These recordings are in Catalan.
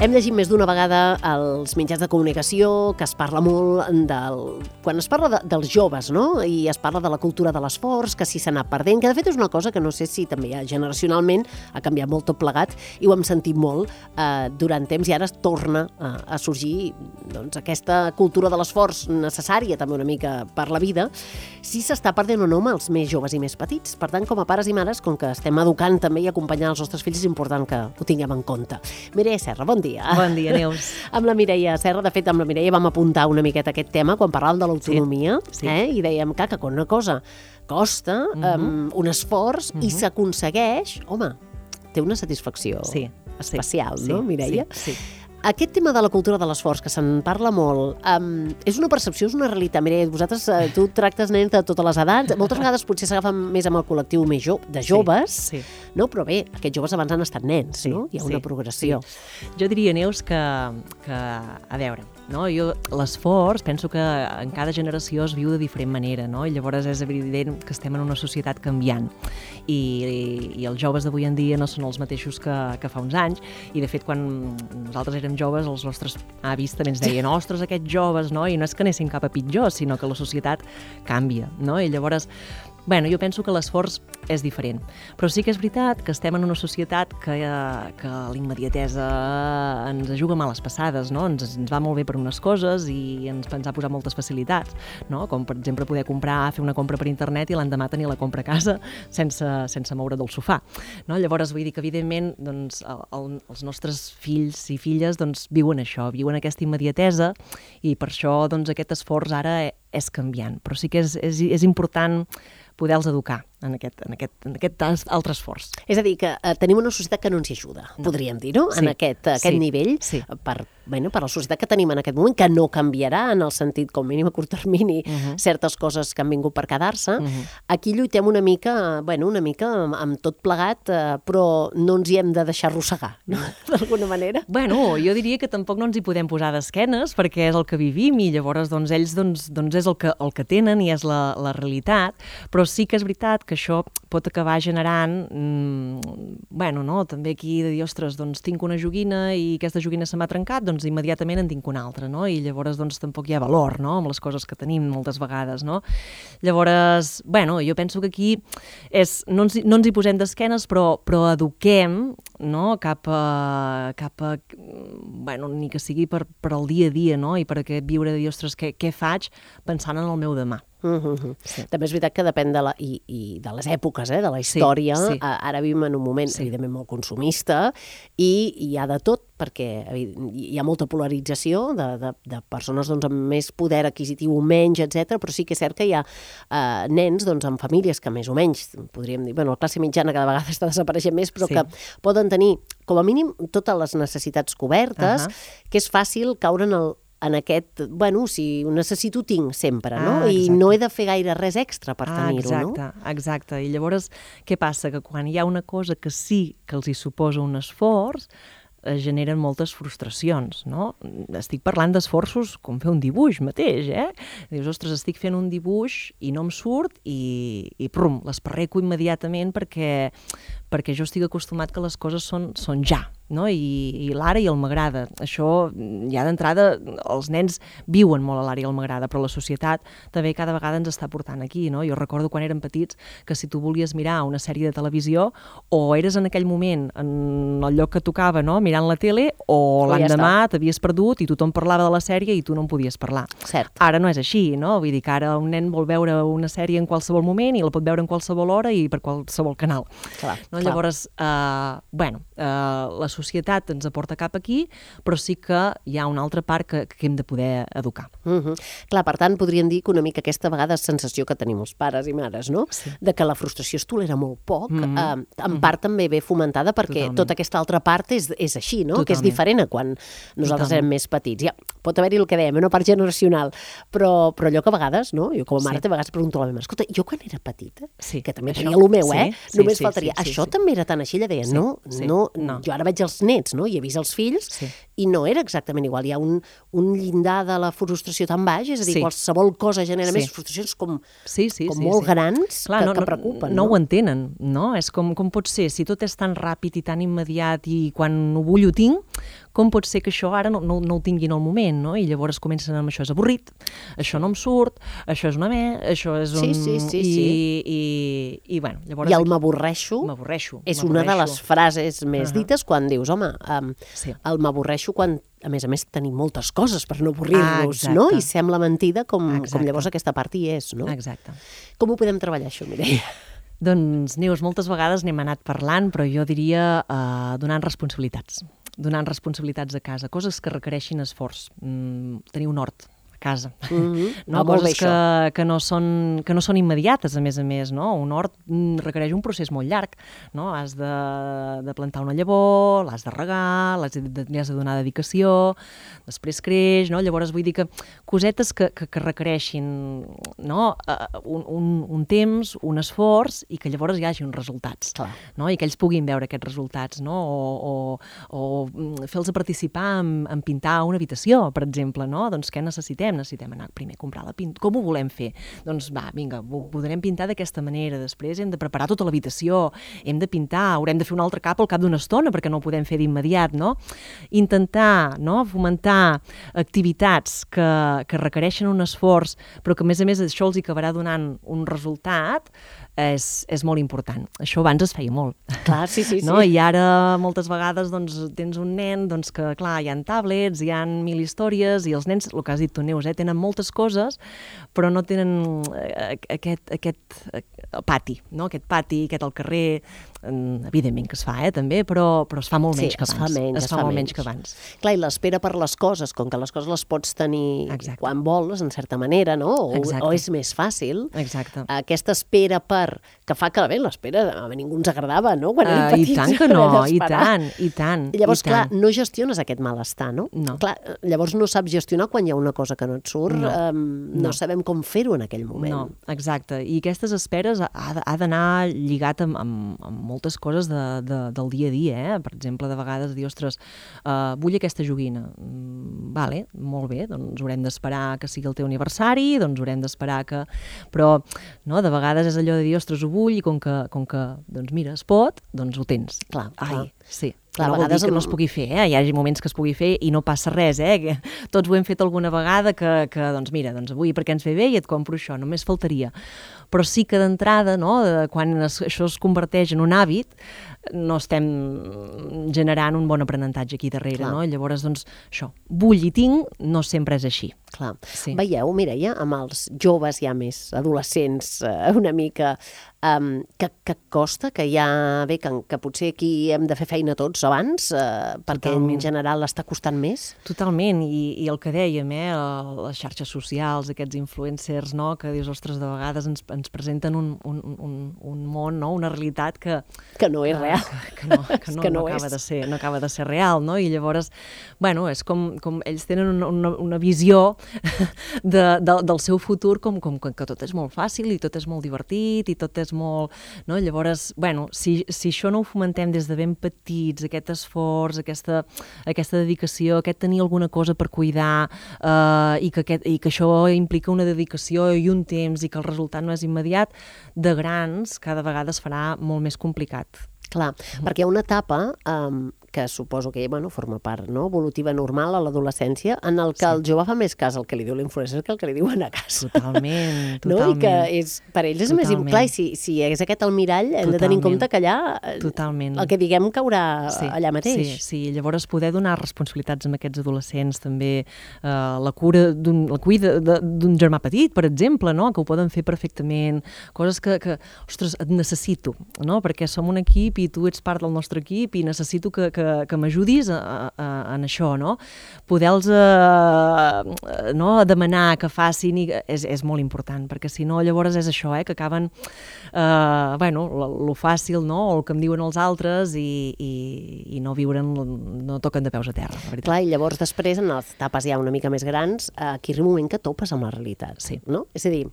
Hem llegit més d'una vegada als mitjans de comunicació que es parla molt quan es parla dels joves, no? I es parla de la cultura de l'esforç, que si s'ha anat perdent, que de fet és una cosa que no sé si també generacionalment ha canviat molt tot plegat i ho hem sentit molt durant temps i ara es torna a sorgir doncs, aquesta cultura de l'esforç necessària també una mica per la vida, si s'està perdent o no amb els més joves i més petits. Per tant, com a pares i mares, com que estem educant també i acompanyant els nostres fills, és important que ho tinguem en compte. Mireia Serra, bon dia. Bon dia, Neus. Amb la Mireia Serra, de fet, amb la Mireia vam apuntar una miqueta aquest tema quan parlàvem de l'autonomia, i dèiem que quan una cosa costa un esforç i s'aconsegueix, home, té una satisfacció especial, no, Mireia? Sí. Aquest tema de la cultura de l'esforç, que se'n parla molt, és una percepció, és una realitat? Mireia, vosaltres, tu tractes nens de totes les edats, moltes vegades potser s'agafen més amb el col·lectiu més de joves, no? Però bé, aquests joves abans han estat nens, no? Hi ha una progressió. Jo diria, Neus, que a veure, no? Jo l'esforç penso que en cada generació es viu de diferent manera, no? I llavors és evident que estem en una societat canviant i els joves d'avui en dia no són els mateixos que fa uns anys i de fet quan nosaltres érem joves els nostres avis també ens deien ostres, aquests joves, no? I no és que anessin cap a pitjor, sinó que la societat canvia, no? I llavors jo penso que l'esforç és diferent, però sí que és veritat que estem en una societat que la immediatesa ens juga males passades, no? Ens va molt bé per unes coses i ens ha posat moltes facilitats, no? Com per exemple poder fer una compra per internet i l'endemà tenir la compra a casa sense moure del sofà, no? Llavors vull dir que evidentment doncs, els nostres fills i filles doncs, viuen això, viuen aquesta immediatesa i per això doncs, aquest esforç ara és canviant, però sí que és important poder-los educar en aquest altre esforç. És a dir, que tenim una societat que no ens hi ajuda, podríem dir, no? En aquest nivell, per la societat que tenim en aquest moment, que no canviarà en el sentit, com mínim a curt termini, certes coses que han vingut per quedar-se. Aquí lluitem una mica amb tot plegat, però no ens hi hem de deixar arrossegar, no? D'alguna manera. Jo diria que tampoc no ens hi podem posar d'esquenes, perquè és el que vivim i llavors ells és el que tenen i és la realitat, però sí que és veritat que això pot acabar generant, també aquí de dir, ostres, doncs tinc una joguina i aquesta joguina se m'ha trencat, doncs immediatament en tinc una altra, no? I llavors doncs tampoc hi ha valor, no?, amb les coses que tenim moltes vegades, no? Llavors, jo penso que aquí no ens hi posem d'esquenes, però eduquem, no?, cap a ni que sigui per al dia a dia, no?, i per aquest viure de dir, ostres, què faig pensant en el meu demà. També és veritat que depèn de les èpoques, de la història. Ara vivim en un moment evidentment molt consumista i hi ha de tot perquè hi ha molta polarització de persones amb més poder adquisitiu o menys, etc. Però sí que és cert que hi ha nens amb famílies que més o menys, podríem dir, la classe mitjana cada vegada està desapareixent més, però que poden tenir com a mínim totes les necessitats cobertes, que és fàcil caure en aquest, si ho necessito, tinc sempre, no? I no he de fer gaire res extra per tenir-ho, no? Exacte. I llavors, què passa? Que quan hi ha una cosa que sí que els hi suposa un esforç, generen moltes frustracions, no? Estic parlant d'esforços com fer un dibuix mateix, Dius, ostres, estic fent un dibuix i no em surt i prum, l'esparreco immediatament perquè jo estic acostumat que les coses són ja, no? I l'ara i el m'agrada. Això, ja d'entrada, els nens viuen molt a l'ara i el m'agrada, però la societat també cada vegada ens està portant aquí, no? Jo recordo quan érem petits que si tu volies mirar una sèrie de televisió o eres en aquell moment en el lloc que tocava, no?, mirant la tele, o l'endemà t'havies perdut i tothom parlava de la sèrie i tu no en podies parlar. Cert. Ara no és així, no? Vull dir que ara un nen vol veure una sèrie en qualsevol moment i la pot veure en qualsevol hora i per qualsevol canal. Clar. Llavors, la societat ens aporta cap aquí, però sí que hi ha una altra part que hem de poder educar. Clar, per tant, podríem dir que una mica aquesta vegada sensació que tenim els pares i mares, no? De que la frustració es tolera molt poc, en part també ve fomentada perquè tota aquesta altra part és així, no? Que és diferent a quan nosaltres érem més petits. Ja, pot haver-hi el que dèiem, una part generacional, però allò que a vegades, no? Jo com a mare a vegades pregunto a la meva mare, escolta, jo quan era petita, que també tenia el meu, només faltaria, això també era tan així? Ella deia, no, jo ara veig els nets, no? I he vist els fills i no era exactament igual. Hi ha un llindar de la frustració tan baix, és a dir, qualsevol cosa genera més frustracions com molt grans que preocupen. No ho entenen, no? És com pot ser, si tot és tan ràpid i tan immediat i quan ho vull ho tinc, com pot ser que això ara no ho tinguin al moment, no? I llavors comencen amb això és avorrit, això no em surt, això és una això és un... Sí. I bueno, llavors... I el m'avorreixo és una de les frases més dites quan dius, home, el m'avorreixo quan, a més, tenim moltes coses per no avorrir-nos, no? I sembla mentida com llavors aquesta part hi és, no? Exacte. Com ho podem treballar, això, Mireia? Doncs, Neus, moltes vegades n'hem anat parlant, però jo diria donant responsabilitats a casa, coses que requereixin esforç, tenir un hort a casa, coses que no són immediates, a més, no? Un hort requereix un procés molt llarg, no? Has de plantar una llavor, l'has de regar, li has de donar dedicació, després creix, no? Llavors vull dir que cosetes que requereixin, no? Un temps, un esforç, i que llavors hi hagi uns resultats, no? I que ells puguin veure aquests resultats, no? O fer-los participar en pintar una habitació, per exemple, no? Doncs què necessitem anar primer a comprar la pintura. Com ho volem fer? Doncs va, vinga, ho podrem pintar d'aquesta manera, després hem de preparar tota l'habitació, hem de pintar, haurem de fer un altre cap al cap d'una estona perquè no ho podem fer d'immediat, no? Intentar, no?, fomentar activitats que requereixen un esforç, però que a més això els acabarà donant un resultat, és molt important. Això abans es feia molt. Clar, sí. No? I ara moltes vegades doncs, tens un nen que, clar, hi ha tablets, hi ha 1000 històries, i els nens, el que has dit tu, Neus, tenen moltes coses, però no tenen aquest pati, no? Aquest pati, aquest al carrer, evidentment que es fa, també, però es fa molt menys que abans. Es fa molt menys que abans. Clar, i l'espera per les coses, com que les coses les pots tenir quan vols, en certa manera, no? O és més fàcil. Exacte. Aquesta espera que fa que, bé, l'espera a ningú ens agradava, no? Quan érem petits. I tant que no, i tant. Llavors, clar, no gestiones aquest malestar, no? Clar, llavors no saps gestionar quan hi ha una cosa que no et surt, no sabem com fer-ho en aquell moment. No, exacte. I aquestes esperes ha d'anar lligat amb moltes coses del dia a dia, Per exemple, de vegades dir, ostres, vull aquesta joguina. Vale, molt bé, doncs haurem d'esperar que sigui el teu aniversari, doncs haurem d'esperar que... Però, no, de vegades és allò de dir, ostres, ho vull, i com que doncs mira, es pot, doncs ho tens. Clar. Sí. Clar, no vol dir que no es pugui fer, Hi ha moments que es pugui fer i no passa res, que tots ho hem fet alguna vegada que doncs mira, doncs avui perquè ens ve bé i et compro això, només faltaria. Però sí que d'entrada, no, quan això es converteix en un hàbit, no estem generant un bon aprenentatge aquí darrere, no? Llavors, doncs, això, vull i tinc, no sempre és així. Clar. Sí. Veieu, Mireia, amb els joves ja més adolescents una mica, que costa, que que potser aquí hem de fer feina tots abans, perquè en general està costant més? Totalment, i el que dèiem, les xarxes socials, aquests influencers, no?, que dius, ostres, de vegades ens presenten un món, no?, una realitat que no és real. Que no acaba de ser real, no? I llavors, bueno, és com ells tenen una visió del seu futur com que tot és molt fàcil i tot és molt divertit i tot és molt... No? Llavors, bueno, si això no ho fomentem des de ben petits, aquest esforç, aquesta dedicació, aquest tenir alguna cosa per cuidar i que això implica una dedicació i un temps i que el resultat no és immediat, de grans cada vegada es farà molt més complicat. Clar, perquè hi ha una etapa que suposo que forma part evolutiva normal a l'adolescència, en el que el jove fa més cas al que li diu l'influencer que el que li diuen a casa. Totalment. I que per ells és més... Clar, si és aquest el mirall, hem de tenir en compte que allà el que diguem caurà allà mateix. Sí, llavors poder donar responsabilitats a aquests adolescents, també la cuida d'un germà petit, per exemple, que ho poden fer perfectament, coses que ostres, et necessito, perquè som un equip i tu ets part del nostre equip i necessito que m'ajudis en això, no? Poder-los demanar que facin és molt important, perquè si no llavors és això, que acaben lo fàcil, no? O el que em diuen els altres i no viuren, no toquen de peus a terra, la veritat. Clar, i llavors després, en les etapes ja una mica més grans, aquí arriba un moment que topes amb la realitat, no? És a dir,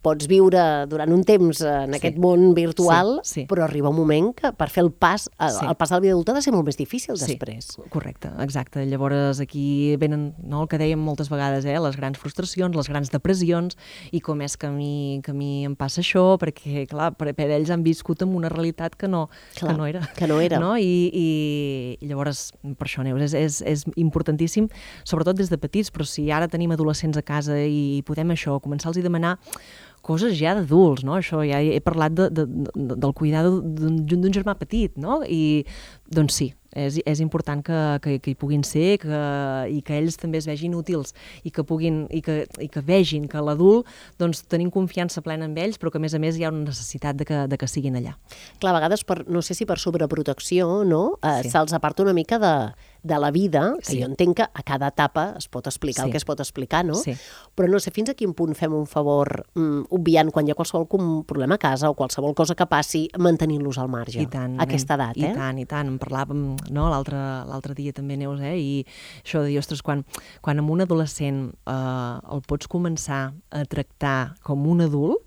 pots viure durant un temps en aquest món virtual, però arriba un moment que per fer el pas a la vida adulta ha de ser molt més difícil després. Correcte, exacte. Llavors aquí venen, el que dèiem moltes vegades, les grans frustracions, les grans depressions, i com és que a mi em passa això, perquè, clar, per ells han viscut amb una realitat que no era. No? I llavors, per això, Neus, és importantíssim, sobretot des de petits, però si ara tenim adolescents a casa i podem això, començar-los a demanar coses ja d'adults, no? Això ja he parlat del cuidar d'un germà petit, no? I doncs sí, és important que hi puguin ser i que ells també es vegin útils i que vegin que l'adult doncs tenim confiança plena en ells, però que a més hi ha una necessitat de que siguin allà. Clar, a vegades, no sé si per sobreprotecció, no? Se'ls aparta una mica de la vida, que jo entenc que a cada etapa es pot explicar el que es pot explicar, no? Però no sé fins a quin punt fem un favor obviant quan hi ha qualsevol problema a casa o qualsevol cosa que passi, mantenint-los al marge a aquesta edat. I tant. En parlàvem l'altre dia també, Neus, i això de dir, ostres, quan amb un adolescent el pots començar a tractar com un adult,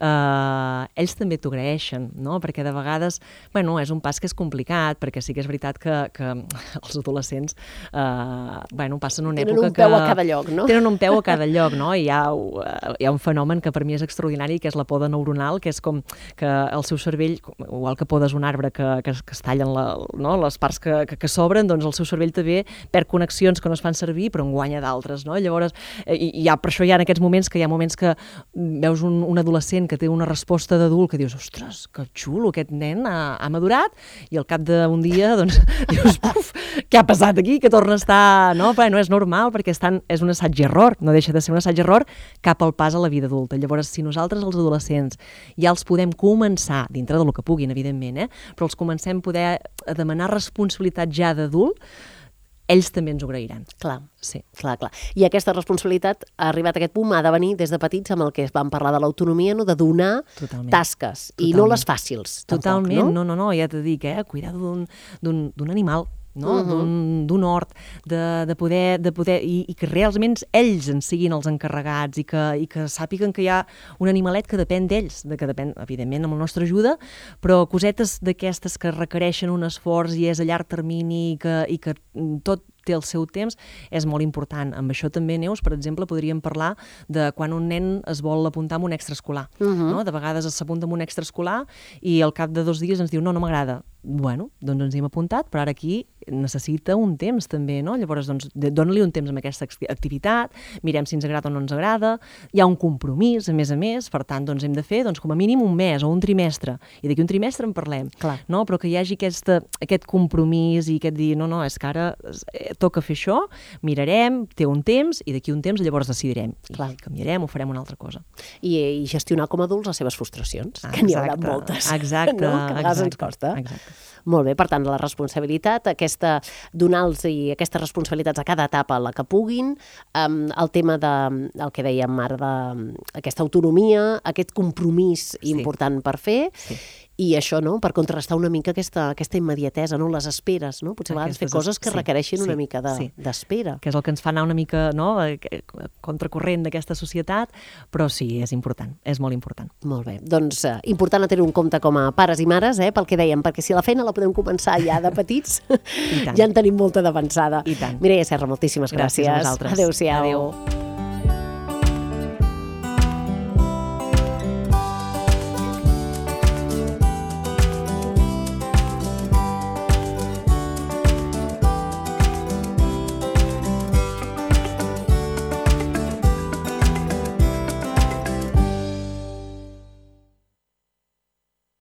ells també t'ho agraeixen, no? Perquè de vegades, és un pas que és complicat, perquè sí que és veritat que els adolescents passen una època que... Tenen un peu a cada lloc, no? Tenen un peu a cada lloc, no? I hi ha un fenomen que per mi és extraordinari, que és la poda neuronal, que és com que el seu cervell, igual que podes un arbre que es tallen les parts que sobren, doncs el seu cervell també perd connexions que no es fan servir, però en guanya d'altres, no? Llavors, per això hi ha en aquests moments que veus un adolescent que té una resposta d'adult que dius, ostres, que xulo, aquest nen ha madurat, i al cap d'un dia doncs dius, puf, què ha passat aquí? Que torna a estar... No és normal, perquè és un assaig i error, no deixa de ser un assaig i error cap al pas a la vida adulta. Llavors, si nosaltres, els adolescents, ja els podem començar, dintre del que puguin, evidentment, però els comencem a poder demanar responsabilitat ja d'adult, ells també ens ho agrairan. Clar. I aquesta responsabilitat ha arribat a aquest punt, ha de venir des de petits amb el que vam parlar de l'autonomia, de donar tasques, i no les fàcils. Totalment, no, ja t'ho dic, cuidar d'un animal, d'un hort, de poder i que realment ells en siguin els encarregats i que sàpiguen que hi ha un animalet que depèn d'ells, que depèn, evidentment, amb la nostra ajuda, però cosetes d'aquestes que requereixen un esforç i és a llarg termini i que tot té el seu temps, és molt important. Amb això també, Neus, per exemple, podríem parlar de quan un nen es vol apuntar en un extraescolar. De vegades s'apunta en un extraescolar i al cap de 2 dies ens diu no m'agrada. Bueno, doncs ens hi hem apuntat, però ara aquí necessita un temps també, no? Llavors, doncs, dona-li un temps amb aquesta activitat, mirem si ens agrada o no ens agrada, hi ha un compromís, a més, per tant, doncs hem de fer com a mínim un mes o un trimestre, i d'aquí un trimestre en parlem, no? Però que hi hagi aquest compromís i aquest dir, no, és que ara toca fer això, mirarem, té un temps, i d'aquí un temps llavors decidirem, i canviarem o farem una altra cosa. I gestionar com a adults les seves frustracions, que n'hi haurà moltes. Exacte. Que a vegades ens costa. Molt bé, per tant, la responsabilitat, donar-los aquestes responsabilitats a cada etapa la que puguin, el tema del que dèiem ara, d'aquesta autonomia, aquest compromís important per fer, i això, no?, per contrarrestar una mica aquesta immediatesa, no?, les esperes, no? Potser a vegades fer coses que requereixin una mica d'espera. Que és el que ens fa anar una mica, no?, contracorrent d'aquesta societat, però sí, és important, és molt important. Molt bé, doncs important a tenir un compte com a pares i mares, pel que dèiem, perquè si la feina la podem començar ja de petits, ja en tenim molta d'avançada. I tant. Mireia Serra, moltíssimes gràcies. Gràcies a vosaltres. Adéu-siau. Adéu.